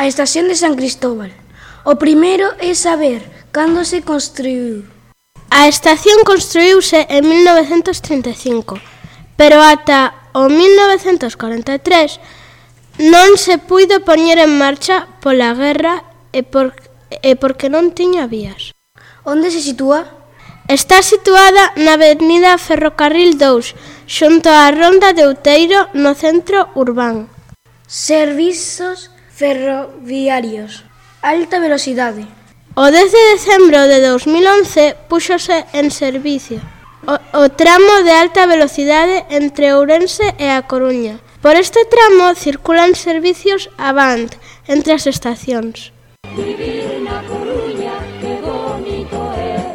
A estación de San Cristóbal. O primeiro é saber cando se construiu. A estación construíuse en 1935, pero ata o 1943 non se puido poñer en marcha pola guerra e porque non tiña vías. Onde se sitúa? Está situada na avenida Ferrocarril 2, xunto á Ronda de Outeiro, no centro urbán. Servizos ferroviarios. Alta velocidade. O 10 de decembro de 2011 púxose en servicio o tramo de alta velocidade entre Ourense e A Coruña. Por este tramo circulan servicios Avant entre as estacións.